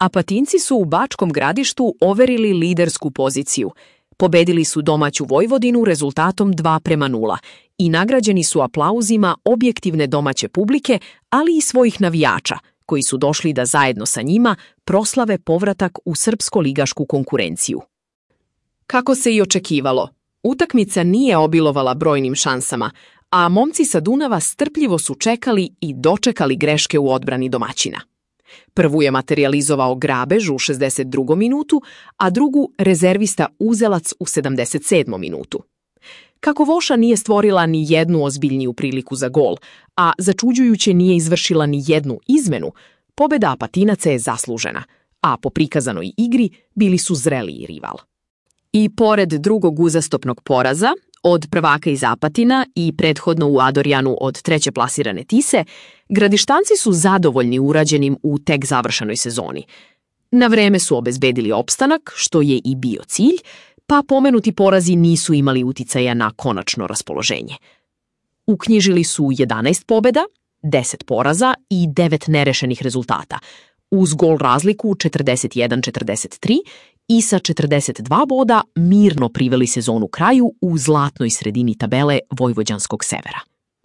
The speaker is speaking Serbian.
Apatinci su u Bačkom Gradištu overili lidersku poziciju. Pobedili su domaću Vojvodinu rezultatom 2:0 i nagrađeni su aplauzima objektivne domaće publike, ali i svojih navijača, koji su došli da zajedno sa njima proslave povratak u srpsko-ligašku konkurenciju. Kako se i očekivalo, utakmica nije obilovala brojnim šansama, a momci sa Dunava strpljivo su čekali i dočekali greške u odbrani domaćina. Prvu je materijalizovao Grabež u 62. minutu, a drugu rezervista Uzelac u 77. minutu. Kako Voša nije stvorila ni jednu ozbiljniju priliku za gol, a začuđujuće nije izvršila ni jednu izmenu, pobeda Apatinaca je zaslužena, a po prikazanoj igri bili su zreliji rival. I pored drugog uzastopnog poraza, od prvaka iz Apatina i prethodno u Adorjanu od treće plasirane Tise, Gradištanci su zadovoljni urađenim u tek završenoj sezoni. Na vreme su obezbedili opstanak, što je i bio cilj, pa pomenuti porazi nisu imali uticaja na konačno raspoloženje. Uknjižili su 11 pobeda, 10 poraza i 9 nerešenih rezultata, uz gol razliku 41-43 i sa 42 boda mirno priveli sezonu kraju u zlatnoj sredini tabele vojvođanskog severa.